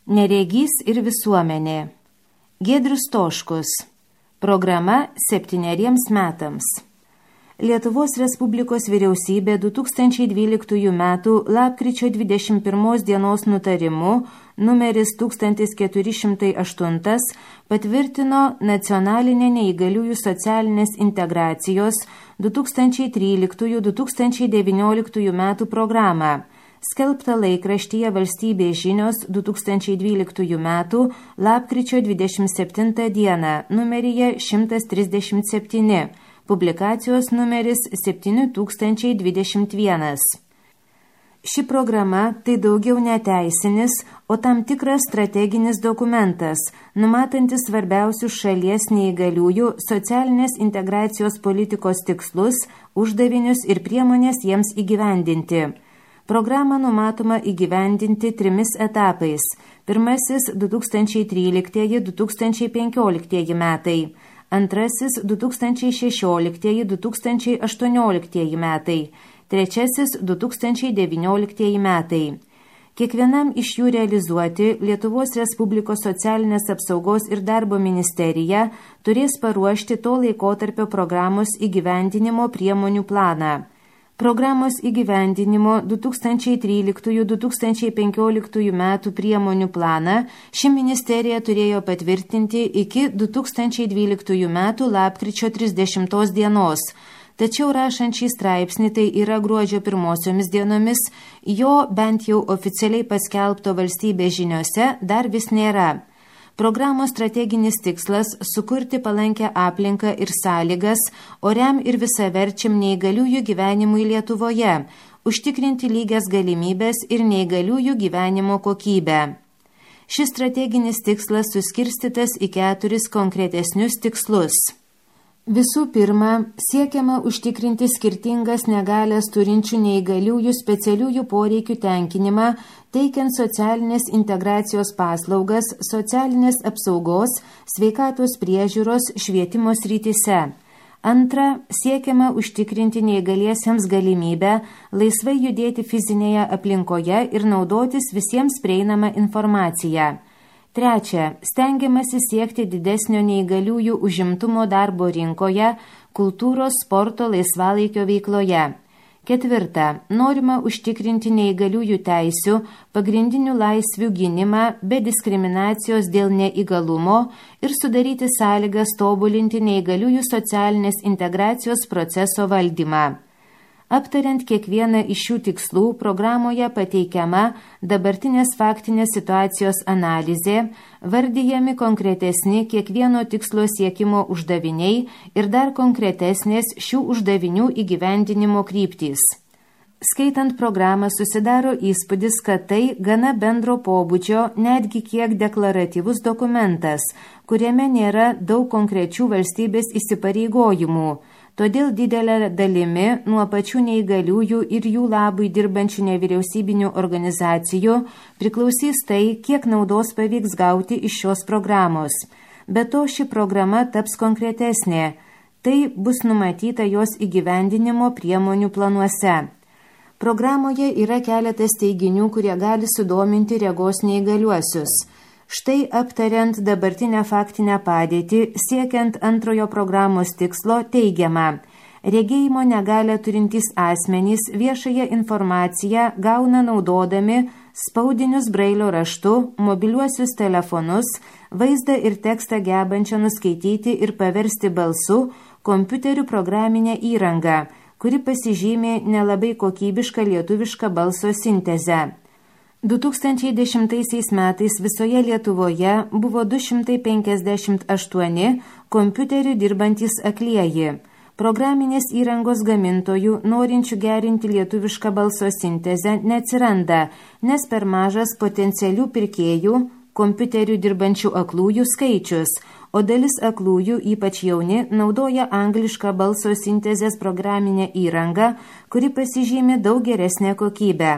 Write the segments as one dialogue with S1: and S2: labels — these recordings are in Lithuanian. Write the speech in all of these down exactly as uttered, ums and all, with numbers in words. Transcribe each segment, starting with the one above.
S1: Neregys ir visuomenė. Giedrius Stoškus. Programa septyneriems metams. Lietuvos Respublikos vyriausybė du tūkstančiai dvyliktųjų metų lapkričio dvidešimt pirmos dienos nutarimu numeris tūkstantis keturi šimtai aštuoni patvirtino nacionalinę neįgaliųjų socialinės integracijos du tūkstančiai tryliktųjų - du tūkstančiai devynioliktųjų metų programą, skelbta laikraštyje Valstybės žinios du tūkstančiai dvyliktųjų metų lapkričio dvidešimt septintą dieną numeryje šimtas trisdešimt septyni, publikacijos numeris septyni tūkstančiai dvidešimt vienas. Ši programa tai daugiau neteisinis, o tam tikras strateginis dokumentas, numatantis svarbiausius šalies neįgaliųjų socialinės integracijos politikos tikslus, uždavinius ir priemonės jiems įgyvendinti. Programą numatoma įgyvendinti trimis etapais. Pirmasis du tūkstančiai tryliktieji - du tūkstančiai penkioliktieji metai. Antrasis du tūkstančiai šešioliktieji - du tūkstančiai aštuonioliktieji metai, trečiasis du tūkstančiai devynioliktieji metai. Kiekvienam iš jų realizuoti Lietuvos Respublikos socialinės apsaugos ir darbo ministerija turės paruošti to laikotarpio programos įgyvendinimo priemonių planą. Programos įgyvendinimo du tūkstančiai tryliktųjų - du tūkstančiai penkioliktųjų metų priemonių planą ši ministerija turėjo patvirtinti iki du tūkstančiai dvyliktųjų metų lapkričio trisdešimtos dienos. Tačiau rašant šį straipsnį, tai yra gruodžio pirmosiomis dienomis, jo bent jau oficialiai paskelbto Valstybės žiniose dar vis nėra. Programos strateginis tikslas – sukurti palankę aplinką ir sąlygas oriam ir visaverčiam neįgaliųjų gyvenimui Lietuvoje, užtikrinti lygias galimybės ir neįgaliųjų gyvenimo kokybę. Šis strateginis tikslas suskirstytas į keturis konkretesnius tikslus. Visų pirma, siekiama užtikrinti skirtingas negalias turinčių neįgaliųjų specialiųjų poreikių tenkinimą, teikiant socialinės integracijos paslaugas, socialinės apsaugos, sveikatos priežiūros, švietimo srityse. Antra, siekiama užtikrinti neįgaliesiems galimybę laisvai judėti fizinėje aplinkoje ir naudotis visiems prieinamą informaciją. Trečia, stengiamasi siekti didesnio neįgaliųjų užimtumo darbo rinkoje, kultūros, sporto, laisvalaikio veikloje. Ketvirta, norima užtikrinti neįgaliųjų teisių, pagrindinių laisvių gynimą be diskriminacijos dėl neįgalumo ir sudaryti sąlygas tobulinti neįgaliųjų socialinės integracijos proceso valdymą. Aptariant kiekvieną iš šių tikslų, programoje pateikiama dabartinės faktinės situacijos analizė, vardijami konkretesni kiekvieno tikslo siekimo uždaviniai ir dar konkretesnės šių uždavinių įgyvendinimo kryptys. Skaitant programą susidaro įspūdis, kad tai gana bendro pobūdžio, netgi kiek deklaratyvus dokumentas, kuriame nėra daug konkrečių valstybės įsipareigojimų. Todėl didelė dalimi nuo pačių neįgaliųjų ir jų labui dirbančių nevyriausybinių organizacijų priklausys tai, kiek naudos pavyks gauti iš šios programos. Be to, ši programa taps konkretesnė. Tai bus numatyta jos įgyvendinimo priemonių planuose. Programoje yra keletas teiginių, kurie gali sudominti regos neįgaliuosius. Štai aptariant dabartinę faktinę padėtį, siekiant antrojo programos tikslo, teigiama: regėjimo negalią turintys asmenys viešąją informaciją gauna naudodami spaudinius brailio raštu, mobiliuosius telefonus, vaizdą ir tekstą gebančią nuskaityti ir paversti balsu, kompiuterių programinę įrangą, kuri pasižymė nelabai kokybišką lietuvišką balso sintezę. du tūkstančiai dešimtaisiais metais visoje Lietuvoje buvo du šimtai penkiasdešimt aštuoni kompiuterių dirbantys aklieji. Programinės įrangos gamintojų, norinčių gerinti lietuvišką balso sintezę, neatsiranda, nes per mažas potencialių pirkėjų kompiuterių dirbančių aklųjų skaičius, o dalis aklųjų, ypač jauni, naudoja anglišką balso sintezės programinę įrangą, kuri pasižymi daug geresnę kokybę.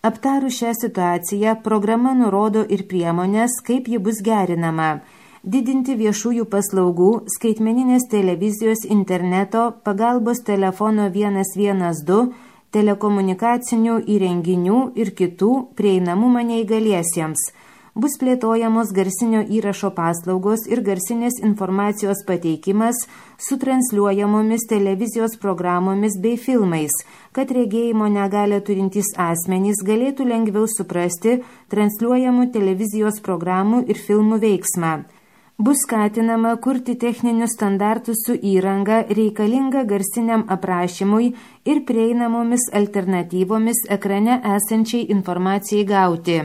S1: Aptarus šią situaciją, programa nurodo ir priemonės, kaip ji bus gerinama. Didinti viešųjų paslaugų, skaitmeninės televizijos, interneto, pagalbos telefono vienas vienas du, telekomunikacinių įrenginių ir kitų prieinamumą neįgaliesiems, Bus plėtojamos garsinio įrašo paslaugos ir garsinės informacijos pateikimas su transliuojamomis televizijos programomis bei filmais, kad regėjimo negalią turintys asmenys galėtų lengviau suprasti transliuojamų televizijos programų ir filmų veiksmą. Bus skatinama kurti techninius standartus su įranga reikalinga garsiniam aprašymui ir prieinamomis alternatyvomis ekrane esančiai informacijai gauti.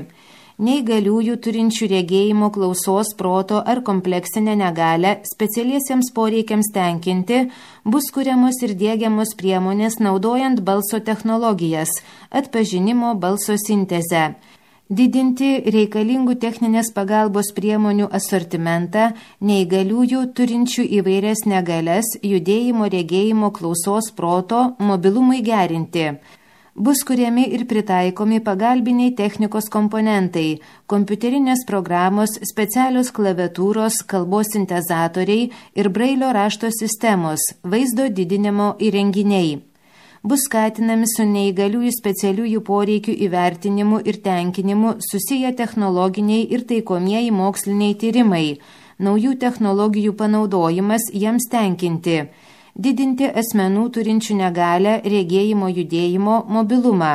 S1: Neįgaliųjų turinčių regėjimo, klausos, proto ar kompleksinę negalią specialiesiems poreikiams tenkinti bus kuriamos ir diegiamos priemonės naudojant balso technologijas, atpažinimo balso sintezę. Didinti reikalingų techninės pagalbos priemonių asortimentą neįgaliųjų turinčių įvairias negalias, judėjimo, regėjimo, klausos, proto, mobilumui gerinti. Bus kuriami ir pritaikomi pagalbiniai technikos komponentai, kompiuterinės programos, specialios klaviatūros, kalbos sintezatoriai ir brailio rašto sistemos, vaizdo didinimo įrenginiai. Bus skatinami su neįgaliųjų specialiųjų poreikių įvertinimu ir tenkinimu susiję technologiniai ir taikomieji moksliniai tyrimai, naujų technologijų panaudojimas jiems tenkinti, didinti asmenų turinčių negalią, regėjimo, judėjimo, mobilumą.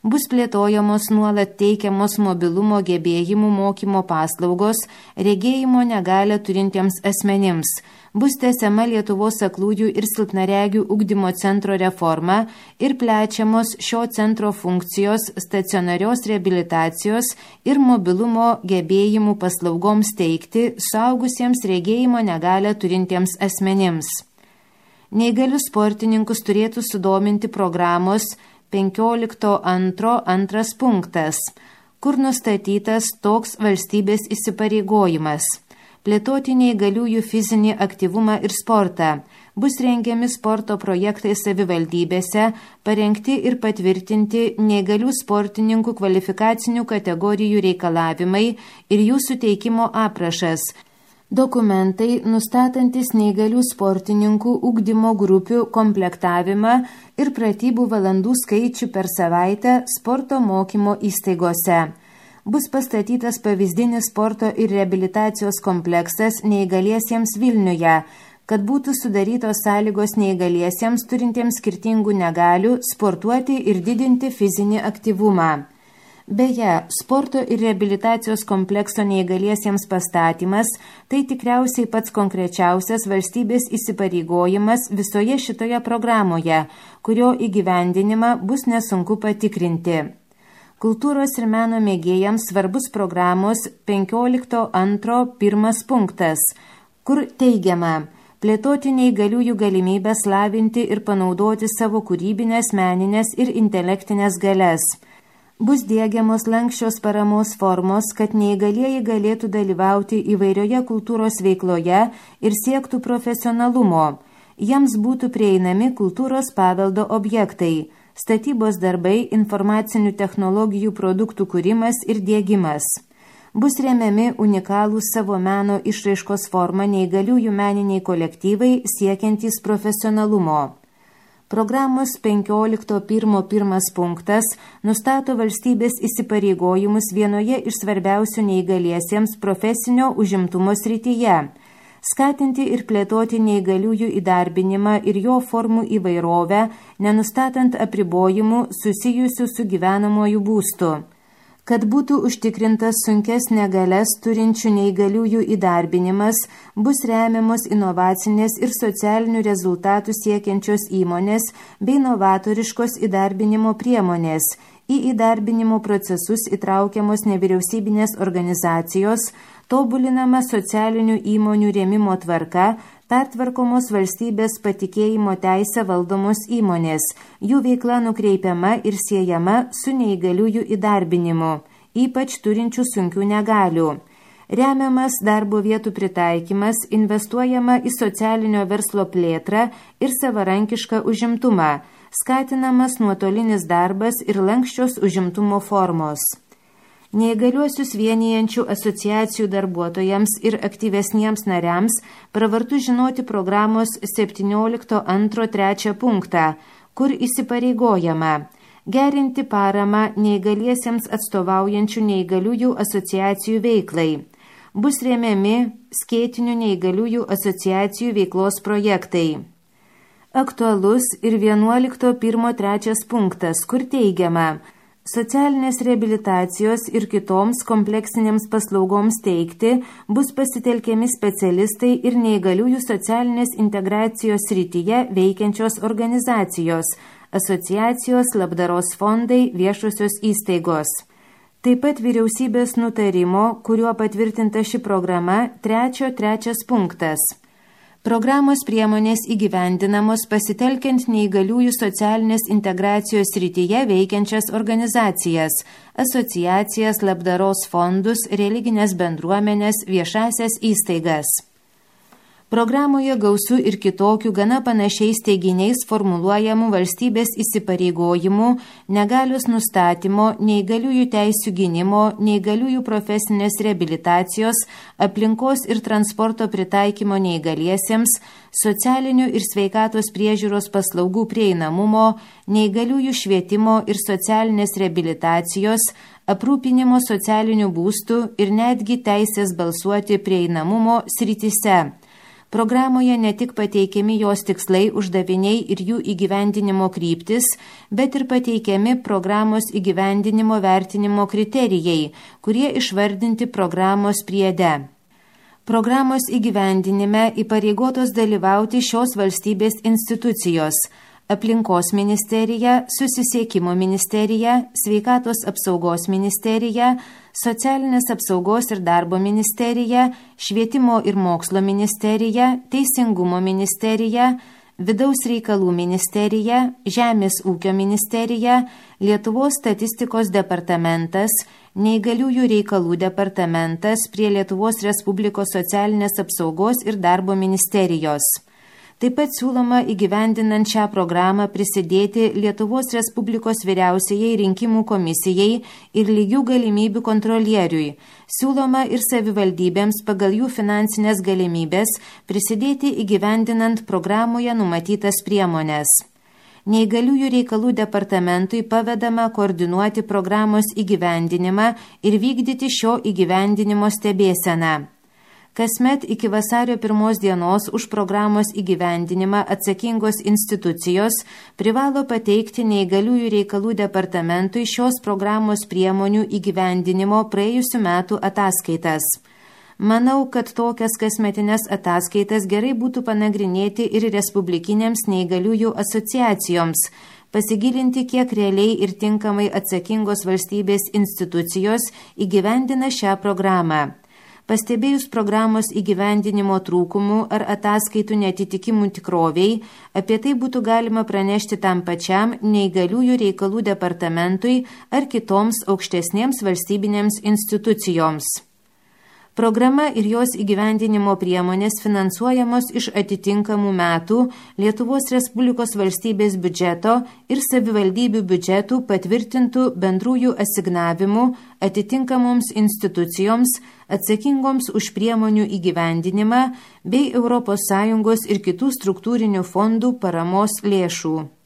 S1: Bus plėtojamos nuolat teikiamos mobilumo gebėjimų mokymo paslaugos regėjimo negalią turintiems asmenims. Bus tęsiama Lietuvos aklųjų ir silpnaregių ugdymo centro reforma ir plečiamos šio centro funkcijos stacionarios reabilitacijos ir mobilumo gebėjimų paslaugoms teikti suaugusiems regėjimo negalią turintiems asmenims. Neįgalius sportininkus turėtų sudominti programos penkiolikto antro antras punktas, kur nustatytas toks valstybės įsipareigojimas – plėtoti neįgaliųjų fizinį aktyvumą ir sportą. Bus rengiami sporto projektai savivaldybėse, parengti ir patvirtinti neįgalių sportininkų kvalifikacinių kategorijų reikalavimai ir jų suteikimo aprašas, dokumentai nustatantis neįgalių sportininkų ugdymo grupių komplektavimą ir pratybų valandų skaičių per savaitę sporto mokymo įstaigose. Bus pastatytas pavyzdinis sporto ir reabilitacijos kompleksas neįgaliesiems Vilniuje, kad būtų sudarytos sąlygos neįgaliesiems turintiems skirtingų negalių sportuoti ir didinti fizinį aktyvumą. Beje, sporto ir reabilitacijos komplekso neįgaliesiems pastatymas – tai tikriausiai pats konkrečiausias valstybės įsipareigojimas visoje šitoje programoje, kurio įgyvendinimą bus nesunku patikrinti. Kultūros ir meno mėgėjams svarbus programos penkiolikto antro pirmas punktas, kur teigiama – plėtoti neįgaliųjų galimybės lavinti ir panaudoti savo kūrybinės, meninės ir intelektinės galias. Bus diegiamos lanksčios paramos formos, kad neįgalieji galėtų dalyvauti įvairioje kultūros veikloje ir siektų profesionalumo. Jiems būtų prieinami kultūros paveldo objektai, statybos darbai, informacinių technologijų produktų kūrimas ir diegimas. Bus remiami unikalūs savo meno išraiškos forma neįgaliųjų meniniai kolektyvai siekiantys profesionalumo. Programos penkiolikto pirmo pirmas punktas nustato valstybės įsipareigojimus vienoje iš svarbiausių neįgaliesiems profesinio užimtumo srityje – skatinti ir plėtoti neįgaliųjų įdarbinimą ir jo formų įvairovę, nenustatant apribojimų susijusių su gyvenamuoju būstu. Kad būtų užtikrintas sunkes negalias turinčių neįgaliųjų įdarbinimas, bus remiamos inovacinės ir socialinių rezultatų siekiančios įmonės bei novatoriškos įdarbinimo priemonės. Į įdarbinimo procesus įtraukiamos nevyriausybinės organizacijos, tobulinama socialinių įmonių rėmimo tvarka, pertvarkomos valstybės patikėjimo teisę valdomos įmonės, jų veikla nukreipiama ir siejama su neįgaliųjų įdarbinimu, ypač turinčių sunkių negalių. Remiamas darbo vietų pritaikymas, investuojama į socialinio verslo plėtrą ir savarankišką užimtumą, skatinamas nuotolinis darbas ir lanksčios užimtumo formos. Neįgaliuosius vienijančių asociacijų darbuotojams ir aktyvesniems nariams pravartu žinoti programos septyniolikto antro trečią punktą, kur įsipareigojama gerinti paramą neįgaliesiems atstovaujančių neįgaliųjų asociacijų veiklai. Bus remiami skėtinių neįgaliųjų asociacijų veiklos projektai. Aktualus ir vienuolikto pirmo trečias punktas, kur teigiama, socialinės reabilitacijos ir kitoms kompleksinėms paslaugoms teikti bus pasitelkiami specialistai ir neįgaliųjų socialinės integracijos srityje veikiančios organizacijos, asociacijos, labdaros fondai, viešosios įstaigos. Taip pat vyriausybės nutarimo, kuriuo patvirtinta ši programa, trečio trečias punktas. Programos priemonės įgyvendinamos pasitelkiant neįgaliųjų socialinės integracijos srityje veikiančias organizacijas, asociacijas, labdaros fondus, religinės bendruomenės, viešasias įstaigas. Programoje gausu ir kitokių gana panašiais teiginiais formuluojamų valstybės įsipareigojimų, negalios nustatymo, neįgaliųjų teisių gynimo, neįgaliųjų profesinės reabilitacijos, aplinkos ir transporto pritaikymo neįgaliesiems, socialinių ir sveikatos priežiūros paslaugų prieinamumo, neįgaliųjų švietimo ir socialinės reabilitacijos, aprūpinimo socialinių būstų ir netgi teisės balsuoti prieinamumo srityse. Programoje ne tik pateikiami jos tikslai, uždaviniai ir jų įgyvendinimo kryptis, bet ir pateikiami programos įgyvendinimo vertinimo kriterijai, kurie išvardinti programos priede. Programos įgyvendinime įpareigotos dalyvauti šios valstybės institucijos – Aplinkos ministerija, Susisiekimo ministerija, Sveikatos apsaugos ministerija, Socialinės apsaugos ir darbo ministerija, Švietimo ir mokslo ministerija, Teisingumo ministerija, Vidaus reikalų ministerija, Žemės ūkio ministerija, Lietuvos statistikos departamentas, Neįgaliųjų reikalų departamentas prie Lietuvos Respublikos socialinės apsaugos ir darbo ministerijos. Taip pat siūloma įgyvendinant šią programą prisidėti Lietuvos Respublikos vyriausiajai rinkimų komisijai ir lygių galimybių kontrolieriui. Siūloma ir savivaldybėms pagal jų finansinės galimybės prisidėti įgyvendinant programoje numatytas priemones. Neįgaliųjų reikalų departamentui pavedama koordinuoti programos įgyvendinimą ir vykdyti šio įgyvendinimo stebėseną. Kasmet iki vasario pirmos dienos už programos įgyvendinimą atsakingos institucijos privalo pateikti neįgaliųjų reikalų departamentui šios programos priemonių įgyvendinimo praėjusių metų ataskaitas. Manau, kad tokias kasmetinės ataskaitas gerai būtų panagrinėti ir respublikinėms neįgaliųjų asociacijoms, pasigilinti, kiek realiai ir tinkamai atsakingos valstybės institucijos įgyvendina šią programą. Pastebėjus programos įgyvendinimo trūkumų ar ataskaitų netitikimų tikroviai, apie tai būtų galima pranešti tam pačiam neįgaliųjų reikalų departamentui ar kitoms aukštesnėms valstybinėms institucijoms. Programa ir jos įgyvendinimo priemonės finansuojamos iš atitinkamų metų Lietuvos Respublikos valstybės biudžeto ir savivaldybių biudžetų patvirtintų bendrųjų asignavimų atitinkamoms institucijoms atsakingoms už priemonių įgyvendinimą bei Europos Sąjungos ir kitų struktūrinių fondų paramos lėšų.